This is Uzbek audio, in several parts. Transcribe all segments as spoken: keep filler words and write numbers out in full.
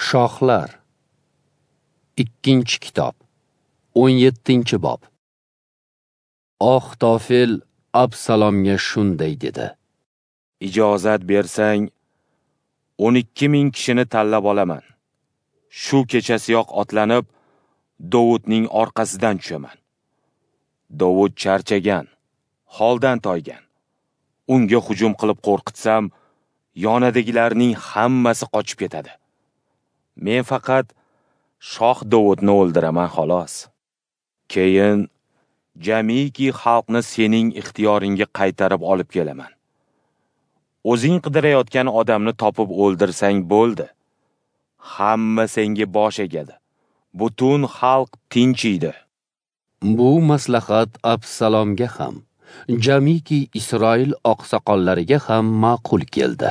Shohlar. Ikkinchi kitob, o'n yettinchi bob. Axitofel Absalomga shunday dedi: Ijozat bersang, o'n ikki ming kishini tanlab olaman. Shu kechasiyoq otlanib, Dovudning orqasidan tushaman. Dovud charchagan, holdan toygan. Unga hujum qilib qo'rqitsam, yonidagilarning hammasi qochib ketadi. Men faqat shoh Dovudni o'ldiraman xolos. Keyin jamiki xalqni sening ixtiyoringga qaytarib olib kelaman. O'zing qidirayotgan odamni topib o'ldirsang bo'ldi. Hamma senga bosh egadi. Butun xalq tinchiydi. Bu maslahat Absalomga ham, jamiki Isroil oqsoqollariga ham ma'qul keldi.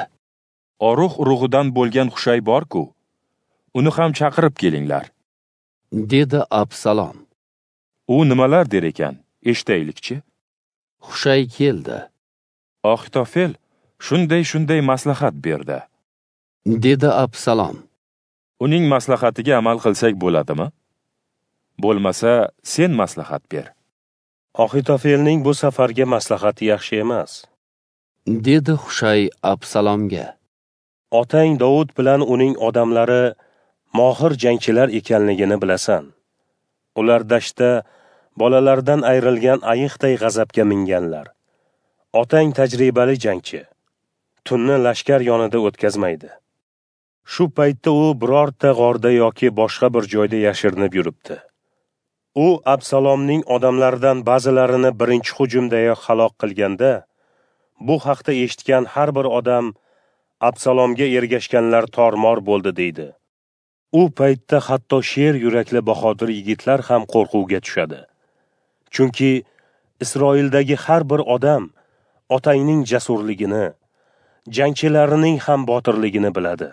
Oruh urug'idan bo'lgan Xushay bor-ku, uni ham chaqirib kelinglar, dedi Absalom. U nimalar der ekan, eshitaylikchi. Xushay keldi. Axitofel shunday-shunday maslahat berdi, dedi Absalom. Uning maslahatiga amal qilsak bo'ladimi? Bo'lmasa, sen maslahat ber. Axitofelning bu safargi maslahati yaxshi emas, dedi Xushay Absalomga. Otang Dovud bilan uning odamlari mohir jangchilar ekanligini bilasan. Ular dashtda bolalardan ayrilgan ayiqday g'azabga minganlar. Otang tajribali jangchi. Tunni lashkar yonida o'tkazmaydi. Shu paytda u birorta g'orda yoki boshqa bir joyda yashirinib yuribdi. U Absalomning odamlaridan ba'zilarini birinchi hujumdayoq halok qilganda, bu haqda eshitgan har bir odam Absalomga ergashganlar tormor bo'ldi deydi. U paytda hatto sher yurakli bahodir yigitlar ham qo'rquvga tushadi. Chunki Isroildagi har bir odam otangning jasurligini, jangchilarining ham botirligini biladi.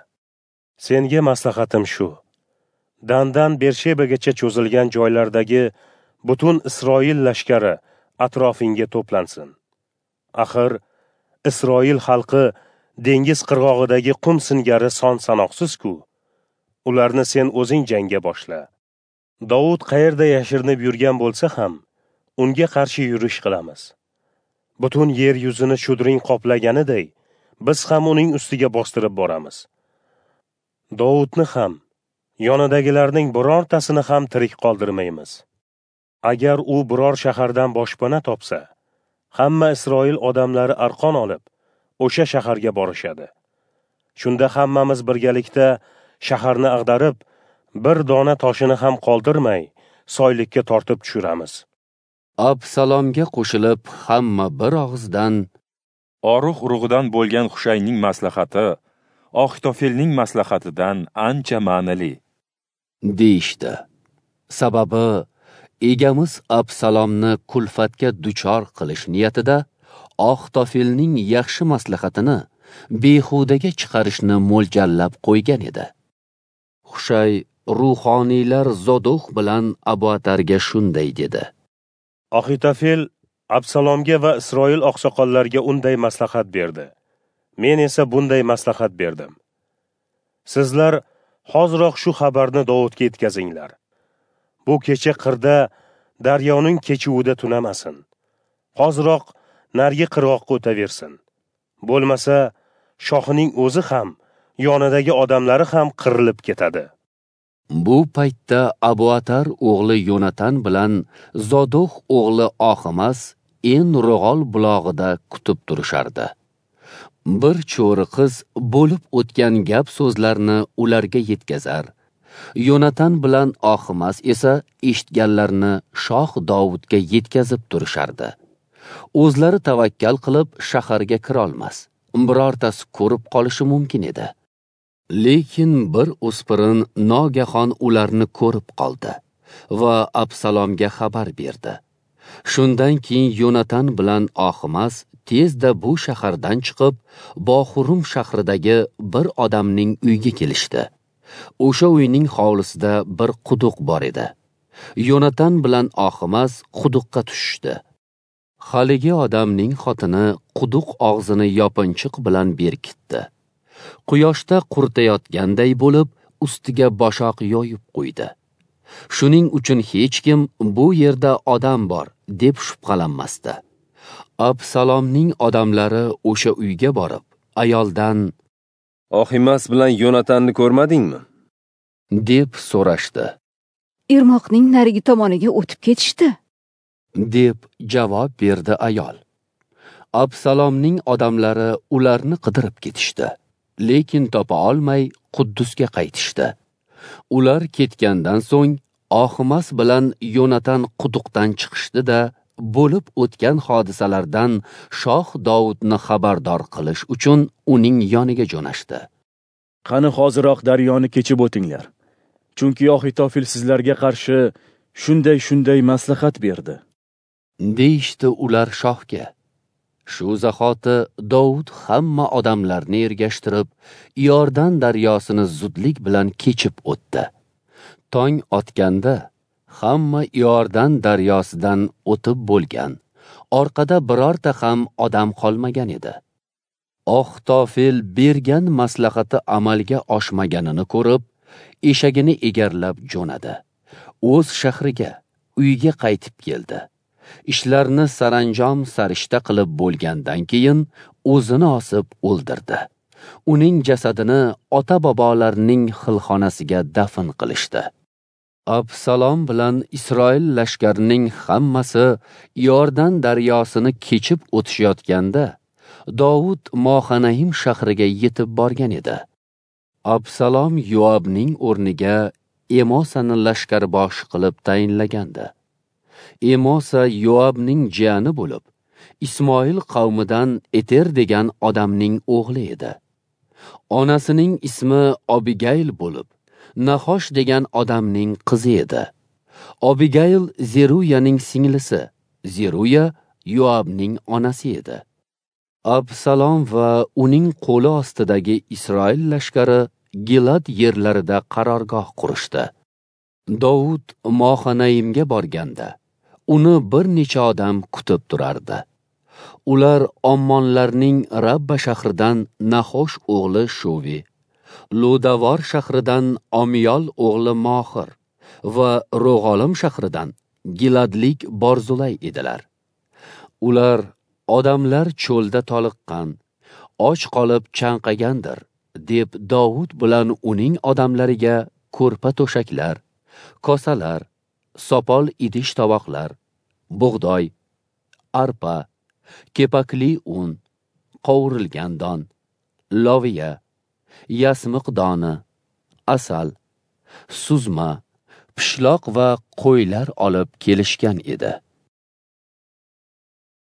Senga maslahatim shu: Dandan Bershebagacha cho'zilgan joylardagi butun Isroil lashkari atrofingga to'plansin. Axir Isroil xalqi dengiz qirg'og'idagi qum singari son sanoqsiz-ku. Ularni sen o'zing jangga boshla. Dovud qayerda yashirinib yurgan bo'lsa ham, unga qarshi yurish qilamiz. Butun yer yuzini shudring qoplaganiday, biz ham uning ustiga bostirib boramiz. Dovudni ham, yonidagilarning birortasini ham tirik qoldirmaymiz. Agar u biror shahardan boshpana topsa, hamma Isroil odamlari arqon olib, o'sha shaharga borishadi. Shunda hammamiz birgalikda shaharni ag'darib, bir dona toshini ham qoldirmay, soylikka tortib tushiramiz. Absalomga qo'shilib hamma bir og'izdan Oruh urug'idan bo'lgan Xushayning maslahati Axitofelning maslahatidan ancha ma'nili, deyishdi. Sababi egamiz Absalomni kulfatga duchor qilish niyatida Axitofelning yaxshi maslahatini behudaga chiqarishni mo'ljallab qo'ygan edi. Xushay ruhoniylar Zodoq bilan Abiatarga shunday dedi: Axitofel Absalomga va Isroil oqsoqollariga unday maslahat berdi. Men esa bunday maslahat berdim. Sizlar hoziroq shu xabarni Dovudga yetkazinglar. Bu kecha qirda daryoning kechuvida tunamasin. Hoziroq narigi qirg'oqqa o'taversin. Bo'lmasa, shohining o'zi ham, yonidagi odamlari ham qirilib ketadi. Bu paytda Abiatar o'g'li Yonatan bilan Zodoq o'g'li Oximas En-Rog'ol bulog'ida kutib turishardi. Bir cho'ri qiz bo'lib o'tgan gap so'zlarni ularga yetkazar. Yonatan bilan Oximas esa eshitganlarni shoh Dovudga yetkazib turishardi. O'zlari tavakkal qilib shaharga kirolmas, birortasi ko'rib qolishi mumkin edi. Lekin bir o'spirin nogahon ularni ko'rib qoldi va Absalomga xabar berdi. Shundan keyin Yonatan bilan Oximas tezda bu shahardan chiqib, Bohurum shahridagi bir odamning uyiga kelishdi. O'sha uyning hovlisida bir quduq bor edi. Yonatan bilan Oximas quduqqa tushishdi. Haligi odamning xotini quduq og'zini yopinchiq bilan berkitdi. Quyoshda quritayotganday bo'lib, ustiga boshoq yoyib qo'ydi. Shuning uchun hech kim bu yerda odam bor deb shubhalanmasdi. Absalomning odamlari o'sha uyga borib, ayoldan "Oximas bilan Yonatanni ko'rmadingmi?" deb so'rashdi. "Irmoqning narigi tomoniga o'tib ketishdi", deb javob berdi ayol. Absalomning odamlari ularni qidirib ketishdi, lekin topa olmay Quddusga qaytishdi. Ular ketgandan so'ng Oximas bilan Yonatan quduqdan chiqishdi-da, bo'lib o'tgan hodisalardan shoh Dovudni xabardor qilish uchun uning yoniga jo'nashdi. "Qani hoziroq daryoni kechib o'tinglar. Chunki Ohitofel sizlarga qarshi shunday-shunday maslahat berdi", deyishdi ular shohga. Shu zahoti Dovud hamma odamlarni ergashtirib, Iordan daryosini zudlik bilan kechib o'tdi. Tong otganda hamma Iordan daryosidan o'tib bo'lgan, orqada birorta ham odam qolmagan edi. Ohitofel bergan maslahati amalga oshmaganini ko'rib, eshagini egarlab jo'nadi. O'z shahriga, uyiga qaytib keldi. Ishlarni saranjom sarishta qilib bo'lgandan keyin o'zini osib o'ldirdi. Uning jasadini ota-bobolarining xilxonasiga dafn qilishdi. Absalom bilan Isroil lashkarining hammasi Iordan daryosini kechib o'tishayotganda Dovud Mohanaim shahriga yetib borgan edi. Absalom Yoabning o'rniga Emosani lashkarboshi qilib tayinlagandi. Emosa Yoabning jiyani bo'lib, Ismoil qavmidan Eter degan odamning o'g'li edi. Onasining ismi Abigayl bo'lib, Nahosh degan odamning qizi edi. Abigayl Zeruyaning singlisi, Zeruya Yoabning onasi edi. Absalom va uning qo'li ostidagi Isroil lashkari Gilad yerlarida qarorgoh qurishdi. Dovud Mohanaimga borganda, uni bir necha odam kutib turardi. Ular Ommonlarning Rabba shahridan Nahosh o'g'li Shovi, Ludavor shahridan Omiyol o'g'li Mohir va Ro'g'olim shahridan Giladlik Borzulay edilar. Ular odamlar cho'lda toliqqan, och qolib chanqagandir deb Dovud bilan uning odamlariga ko'rpa to'shaklar, kosalar, sopol idish tovoqlar, bug'doy, arpa, kepakli un, qovurilgan don, loviya, yasmiq doni, asal, suzma, pishloq va qo'ylar olib kelishgan edi.